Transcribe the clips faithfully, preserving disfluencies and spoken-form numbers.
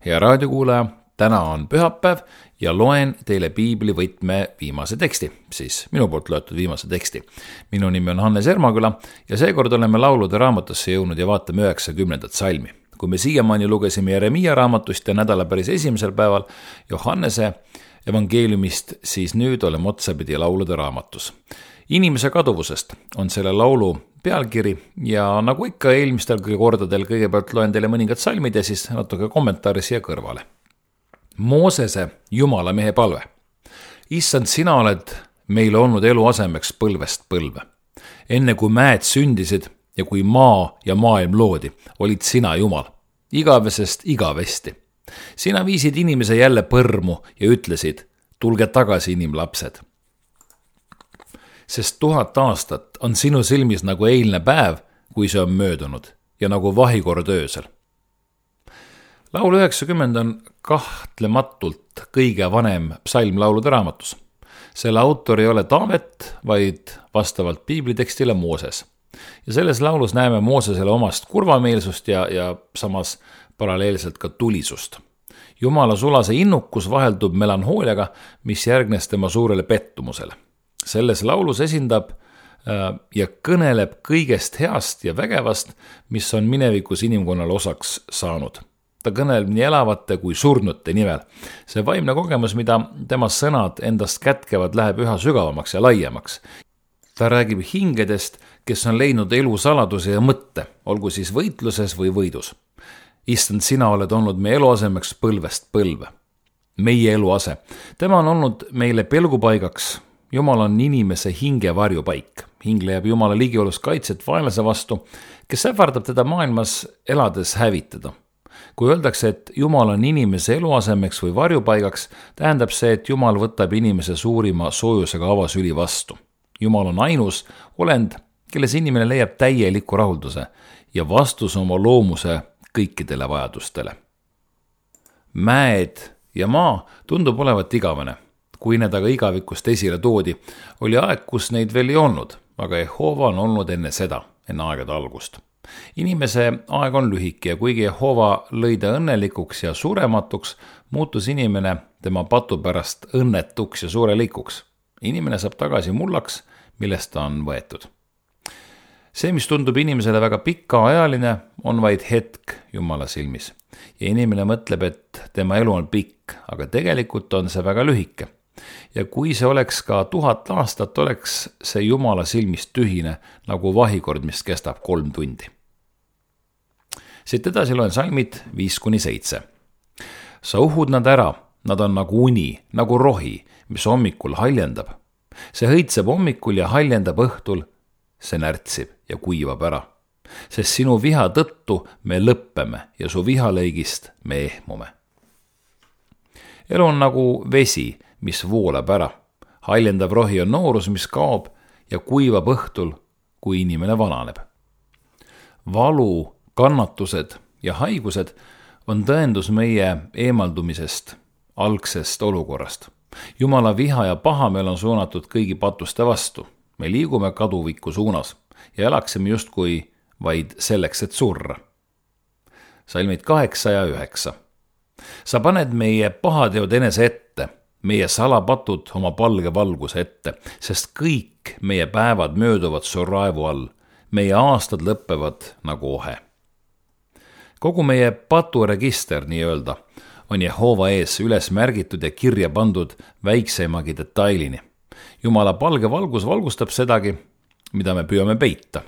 Hea raadiokuulaja, täna on pühapäev ja loen teile piibli võtme viimase teksti, siis minu poolt loetud viimase teksti. Minu nimi on Hannes Ermaküla ja seekord oleme laulude raamatusse jõudnud ja vaatame üheksakümnendat salmi. Kui me siiamaani lugesime Jeremia raamatust ja nädala päris esimesel päeval Johannese evangeeliumist, siis nüüd oleme otsapidi laulude raamatus. Inimese kaduvusest on selle laulu pealkiri ja nagu ikka eelmistel kordadel kõigepealt loen teile mõningad salmid ja siis natuke kommentaari siia kõrvale. Moosese Jumala mehe palve. Issand, sina oled meile olnud eluasemeks põlvest põlve. Enne kui mäed sündisid ja kui maa ja maailm loodi, olid sina Jumal, igavesest igavesti. Sina viisid inimese jälle põrmu ja ütlesid, tulge tagasi inimlapsed. Sest tuhat aastat on sinu silmis nagu eilne päev, kui see on möödunud ja nagu vahikord öösel. Laul üheksakümmend on kahtlematult kõige vanem psalm laulude raamatus. Selle autor ei ole Taavet, vaid vastavalt piiblitekstile Mooses. Ja selles laulus näeme Moosesele omast kurvameelsust ja, ja samas paralleelselt ka tulisust. Jumala sulase innukus vaheldub melanhooliaga, mis järgnes tema suurele pettumusele. Selles laulus esindab ja kõneleb kõigest heast ja vägevast, mis on minevikus inimkonnal osaks saanud. Ta kõneleb nii elavate kui surnute nimel. See vaimne kogemus, mida tema sõnad endast kätkevad, läheb üha sügavamaks ja laiemaks. Ta räägib hingedest, kes on leidnud elu saladuse ja mõtte, olgu siis võitluses või võidus. Issand, sina oled olnud meie eluasemeks põlvest põlve. Meie eluase. Tema on olnud meile pelgupaigaks. Jumal on inimese hinge varjupaik. Hing leiab Jumala ligiolus kaitset vaenlase vastu, kes ähvardab teda maailmas elades hävitada. Kui öeldakse, et Jumal on inimese eluasemeks või varjupaigaks, tähendab see, et Jumal võtab inimese suurima soojusega avasüli vastu. Jumal on ainus olend, kelles inimene leiab täieliku rahulduse ja vastus oma loomuse kõikidele vajadustele. Mäed ja maa tundub olevat igavene. Kui need aga igavikust esile toodi, oli aeg, kus neid veel ei olnud, aga Jehova on olnud enne seda, enne aegade algust. Inimese aeg on lühike ja kuigi Jehova lõi ta õnnelikuks ja surematuks, muutus inimene tema patu pärast õnnetuks ja suurelikuks. Inimene saab tagasi mullaks, millest ta on võetud. See, mis tundub inimesele väga pikaajaline, on vaid hetk Jumala silmis. Ja inimene mõtleb, et tema elu on pikk, aga tegelikult on see väga lühike. Ja kui see oleks ka tuhat aastat, oleks see Jumala silmis tühine nagu vahikord, mis kestab kolm tundi. Siit edasi loen salmid viis kuni seitse. Sa uhud nad ära, nad on nagu uni, nagu rohi, mis hommikul haljendab. See hõitseb hommikul ja haljendab õhtul, see närtsib ja kuivab ära. Sest sinu viha tõttu me lõppeme ja su vihalõigist me ehmume. Elu on nagu vesi, mis voolab ära. Haljendav rohi on noorus, mis kaob ja kuivab õhtul, kui inimene vananeb. Valu, kannatused ja haigused on tõendus meie eemaldumisest, algsest olukorrast. Jumala viha ja pahameel on suunatud kõigi patuste vastu. Me liigume kaduviku suunas ja elaksime justkui vaid selleks, et surra. Salmid kaheksa ja üheksa. Sa paned meie pahateod enese ette, meie salapatud oma palge valguse ette, sest kõik meie päevad mööduvad su raevu all, meie aastad lõppevad nagu ohe. Kogu meie paturegister, nii öelda, on Jehova ees üles märgitud ja kirja pandud väikseimagi detailini. Jumala palge valgus valgustab sedagi, mida me püüame peita.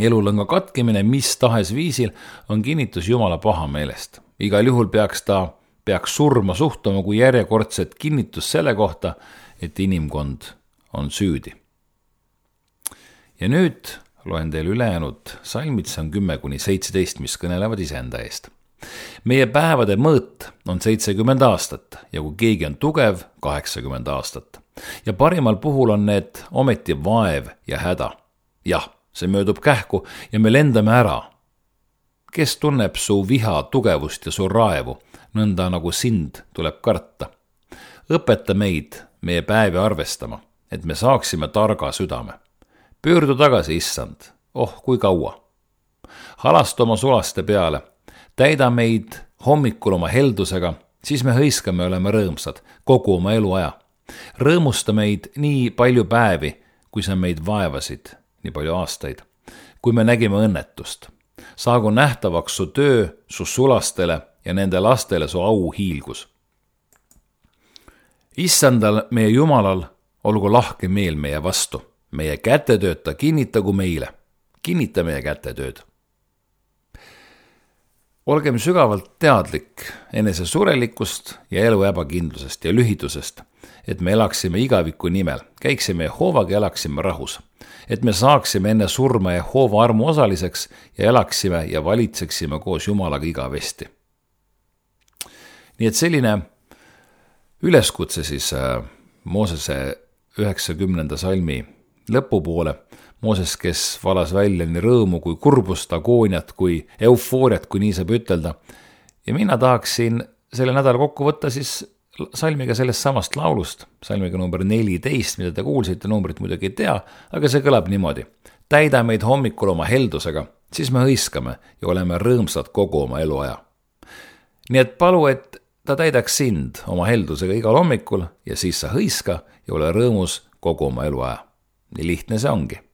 Elulõnga katkemine mis tahes viisil on kinnitus Jumala pahameelest. Igal juhul peaks ta peaks surma suhtuma kui järjekordset kinnitus selle kohta, et inimkond on süüdi. Ja nüüd loen teile ülejäänud salmid, see on kümme kuni seitseteist, mis kõnelevad iseenda eest. Meie päevade mõõt on seitsekümmend aastat ja kui keegi on tugev, kaheksakümmend aastat. Ja parimal puhul on need ometi vaev ja häda. Jah, see möödub kähku ja me lendame ära. Kes tunneb su viha tugevust ja su raevu, nõnda nagu sind tuleb karta. Õpeta meid meie päevi arvestama, et me saaksime targa südame. Pöördu tagasi, issand, oh kui kaua. Halasta oma sulaste peale, täida meid hommikul oma heldusega, siis me hõiskame ja oleme rõõmsad kogu oma eluaja. Rõõmusta meid nii palju päevi, kui sa meid vaevasid, nii palju aastaid, kui me nägime õnnetust. Saagu nähtavaks su töö, su sulastele ja nende lastele su au hiilgus. Issandal meie Jumalal olgu lahke meel meie vastu. Meie kätetööd ta kinnitagu meile. Kinnita meie kätetööd. Olgem sügavalt teadlik enese surelikust ja elu ebakindlusest ja lühidusest, et me elaksime igaviku nimel, käiksime Jehovaga ja elaksime rahus, et me saaksime enne surma Jehova armu osaliseks ja elaksime ja valitseksime koos Jumalaga igavesti. Nii et selline üleskutse siis Moosese üheksakümnenda salmi lõpupoole, Mooses, kes valas välja nii rõõmu kui kurbust, agooniat kui eufooriat, kui nii saab ütelda. Ja mina tahaksin selle nädala kokku võtta siis salmiga sellest samast laulust, salmiga number neliteist, mida te kuulsite, numbrit muidugi ei tea, aga see kõlab niimoodi. Täida meid hommikul oma heldusega, siis me hõiskame ja oleme rõõmsad kogu oma eluaja. Nii et palu, et ta täidaks sind oma heldusega igal hommikul ja siis sa hõiska ja ole rõõmus kogu oma eluaja. Nii lihtne see ongi.